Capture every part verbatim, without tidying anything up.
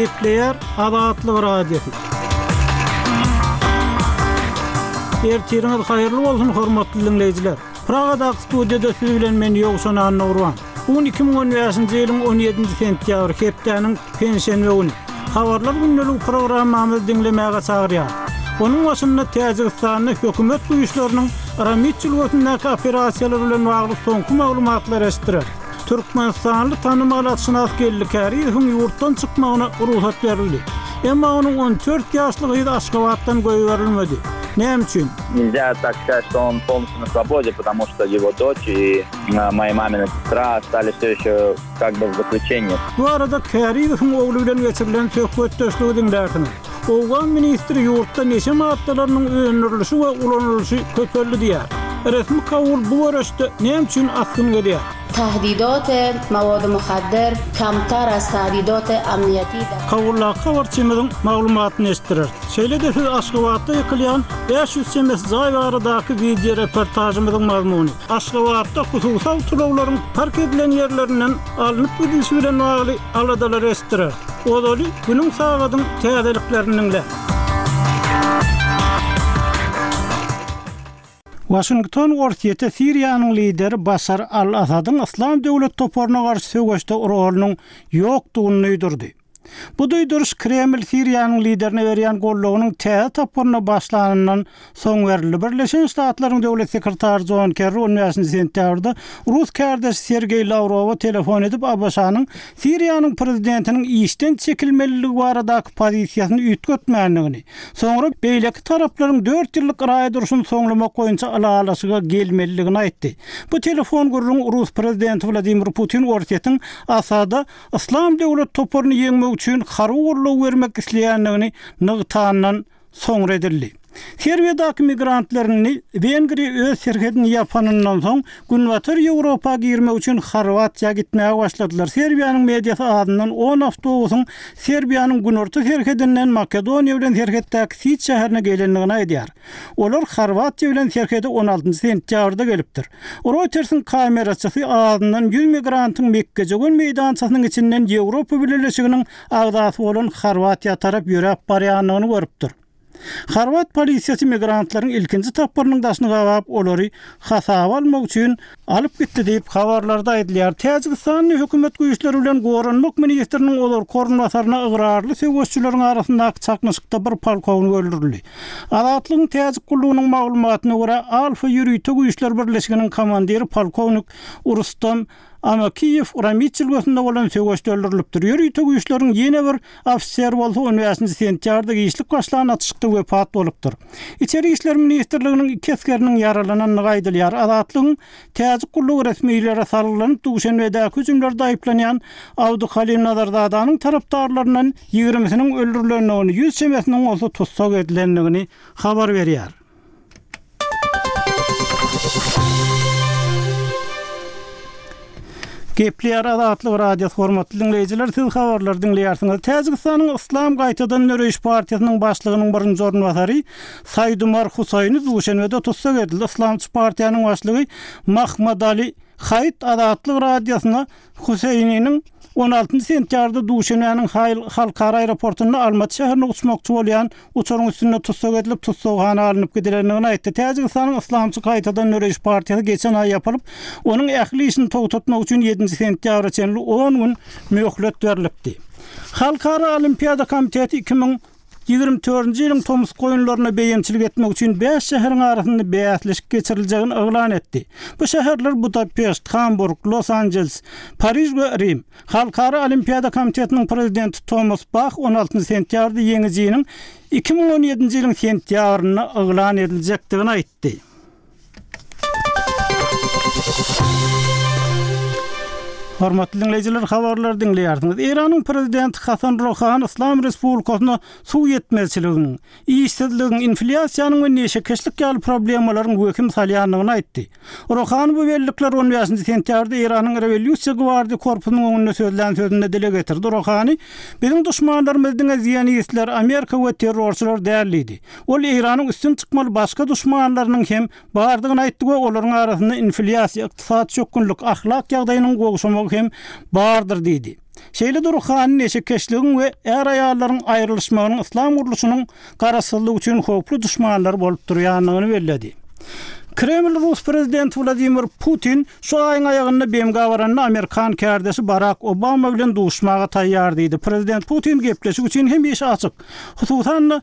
Gepleýär Azatlyk Radiosy. Ertiriňiz haýyrly bolsun hormatly dinleýjiler. Pragadaky studiýada siz bilen men Ýowşan Annagurban. Bu gün iki müň on bäşinji ýylyň on ýedinji sentýabry hepdäniň penşenbe güni. Habarlar gündelik programmamyzy diňlemäge çagyrýar. Onuň başynda Täjigistanda hökümet güýçleriniň Ramit jülgesindäki operasiýalar bilen bagly soňky maglumatlar eşitdirer. Türkmenistanly tanymal atşynas Geldi Käriýewiň ýurtdan çykmagyna rugsat berildi. Emma onuň on dört ýaşly gyzy Aşgabatdan goýberilmedi. Näme üçin? Нельзя так сказать, что он полностью на свободе, потому что его дочь и моя мамина сестра остались все еще как бы в заключении. Bu arada Käriýewiň ogly bilen geçirilen söhbetdeşligi diňlärsiňiz. Owgan ministri ýurtda neşe maddalarynyň öndürilişi we ulanylyşy köpeldi diýär. Resmi Kabul bu görüşde näme üçin asgyn gelýär? Tahdidat mawad muhaddir kamtar az tahdidat amniyeti. Kabuldaky habarçymyzyň maglumatyny eşitdirer. Şeýle-de siz Aşgabatda ýykylýan bäş ýüz çemesi jaý baradaky video reportajymyzyň mazmuny. Aşgabatda hususy awtoulaglaryň park edilen ýerlerinden alnyp gidilişi bilen bagly aladalar eşitdirer. Ozaly günüň sagadyň täzeliklerini diňle. Washington Orsýete Siriýanyň lideri Başar al-Asadyň Yslam döwlet toparyna garşy söweşde rolunyň ýokdugyny duýdurdy. Bu duýduryş Kreml Siriýanyň liderine berýän gollugynyň täze tapgyryna başlanyndan soň berildi. Birleşen Ştatlaryň döwlet sekretary John Kerry on bäşinji sentýabrda Rus kärdeşi Sergeý Lawrowa telefon edip A B Ş-nyň Siriýanyň prezidentiniň işden çekilmeliligi baradaky pozisiýasyny üýtgetmändigini, soňra beýleki taraplaryň dört ýyllyk raý durşuny soňlamak boýunça ylalaşyga gelmeliligini aýtdy. Bu telefon gürrüň Rus prezidenti Wladimir Putin Orsýetiň Asada Yslam döwlet toparyny ýeňmek üçin harby goldaw bermek isleýändigini nygtandan soňra edildi. Serbiýadaky migrantlaryny Wengriýa öz serhedini ýapanyndan soň Günbatar Ýewropa girmek üçin Horwatiýa gitmäge başladylar. Serbiýanyň mediasy adyndan on awtobusyň Serbiýanyň günorta serhedinden Makedoniýa bilen serhetdäki Siç şäherine gelendigini aýdýar. Olar Horwatiýa bilen serhede on altynjy sentýabrda gelipdir. Reuters'in kameraçysy adyndan ýüz migrantyň Mekgejegön meýdançasynyň içinden Ýewropa Bileleşiginiň agzasy bolan Horwatiýa tarap ýöräp barýandygyny görüpdir. Horwat polisiýasy migrantlaryň ilkinji tapgyrynyň daşyny gabap, olary hasaba almak üçin alyp gitdi diýip habarlarda aýdylýar. Täjigistanyň hökümet güýçleri bilen goranmak ministriniň olar korunbasaryna ygrarly söweşçileriň arasyndaky çaknyşykda bir polkownik öldürildi. Azatlygyň Täjik gullugynyň maglumatyna görä, Alfa ýörite güýçler birleşiginiň komandiri polkownik Rustam Amakiýew Ramit jülgesinde bolan söweşde öldürilipdir. Ýörite güýçleriň ýene bir ofiser bolsa on bäşinji sentýabrda giçlik başlan atyşykda wepat bolupdyr. Içeri işler ministrliginiň iki esgeriniň ýaralanandygy aýdylýar. Azatlygyň Täjik gullugy resmilere salgylanyp Duşenbedäki hüjümlerde aýyplanýan Abduhalim Nazarzadanyň tarapdarlaryndan ýigrimisiniň öldürilendigini, ýüz çemesiniň bolsa tussag edilendigini habar berýär. Gepleýär Azatlyk Radiosy hormatly dinleýjiler, siz habarlary diňleýärsiňiz. Täjigistanyň Yslam gaýtadan döreýiş partiýasynyň başlygynyň birinji orunbasary Saýdumar Husaýni Duşenbede tussag edildi. Yslamçy partiýanyň başlygy Mahmadali Haýt Azatlyk Radiosyna Huseýniniň on altynjy sentýabrda Duşenbäniň halkara aeroportunda Almaty şäherine uçmakçy bolýan uçaryň üstünde tussag edilip tussaghana alnyp gidilendigini aýtdy. Täjigistanyň Yslamçy gaýtadan döreýiş partiýasy geçen aý ýapylyp, onuň ähli işini togtatmak üçin ýedinji sentýabra çenli on gün möhlet berilipdi. Halkara Olimpiada komiteti iki müň ýigrimi dördünji ýylyň tomus goýunlaryna beýemçilik etmek üçin bäş şäheriň arasynda bäsleşik geçiriljegini yglan etdi. Bu şäherler Budapeşt, Hamburg, Los Angeles, Pariž we Rim. Halkara Olimpiada komitetiniň prezidenti Thomas Bach on altynjy sentýabrda ýeňijiniň iki müň on ýedinji ýylyň sentýabrynda yglan ediljekdigini aýtdy. Hormatly dinleýjiler, habarlary diňleýärsiňiz. Eýranyň prezidenti Hasan Rohani Yslam Respublikasyna suw ýetmezçiliginiň, işsizligiň, inflýasiýanyň we neşekeşlik ýaly problemalaryň wehim salýandygyny aýtdy. Rohani bu bellikler on bäşinji sentýabrda Eýranyň Rewolýusiýa gwardiýa korpusynyň öňünde sözlän sözünde dile getirdi. Rohani, biziň duşmanlarymyz diňe zionistler, Amerika we terrorçylar däl diýdi. Ol Eýranyň üstün çykmaly başga duşmanlarynyň hem bardygyny aýtdy we olaryň arasynda inflýasiýa, ykdysady çökgünlik, ahlak ýagdaýynyň gowşamagy hem bardyr diýdi. Şeýle-de Ruhani neşekeşligiň we är-aýallaryň aýrylyşmagynyň yslam gurluşynyň garaşsyzlygy üçin howply duşmanlar bolup durýandygyny belledi. Kreml Rus prezidenti Wladimir Putin şu aýyň aýagynda B M G baranda Amerikan kärdeşi Barak Obama bilen duşmaga taýýar diýdi. Prezident Putin gepleşik üçin hemişe açyk. Hususan-da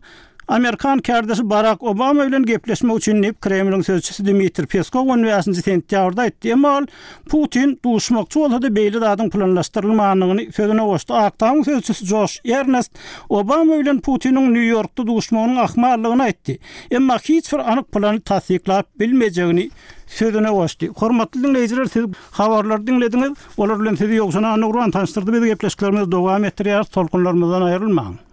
Amerikan kärdeşi Barak Obama bilen gepleşmek üçin diýip Kremliň sözçüsi Dmitriý Peskow on bäşinji sentýabrda aýtdy. Emma ol Putin duşmakçy bolsa-da beýle zadyň planlaşdyrylmandygyny sözüne goşdy. Ak Tamyň sözçüsi Joş Ernest Obama bilen Putiniň Nýu-Ýorkda duşmagynyň ahmallygyny aýtdy. Emma hiç bir anyk plany tassyklap bilmejegini sözüne goşdy. Hormatly diňleýjiler, siz habarlary diňlediňiz. Olar bilen sizi Ýowşan Anugran tanyşdyrdy. Biz gepleşiklerimizi dowam etdirýäris. Tolkunlarymyzdan aýrylmaň.